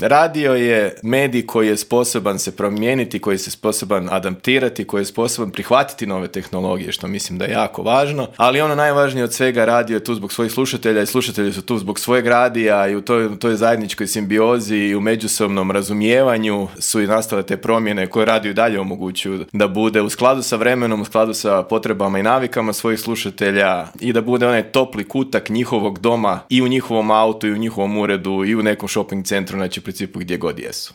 Radio je medij koji je sposoban se promijeniti, koji je sposoban adaptirati, koji je sposoban prihvatiti nove tehnologije, što mislim da je jako važno, ali ono najvažnije od svega, radio je tu zbog svojih slušatelja i slušatelji su tu zbog svojeg radija i u toj zajedničkoj simbiozi i u međusobnom razumijevanju su i nastale te promjene koje radio i dalje omogućuju da bude u skladu sa vremenom, u skladu sa potrebama i navikama svojih slušatelja i da bude onaj topli kutak njihovog doma i u njihovom autu i u njihovom uredu i u nekom shopping centru, znači u principu gdje god jesu.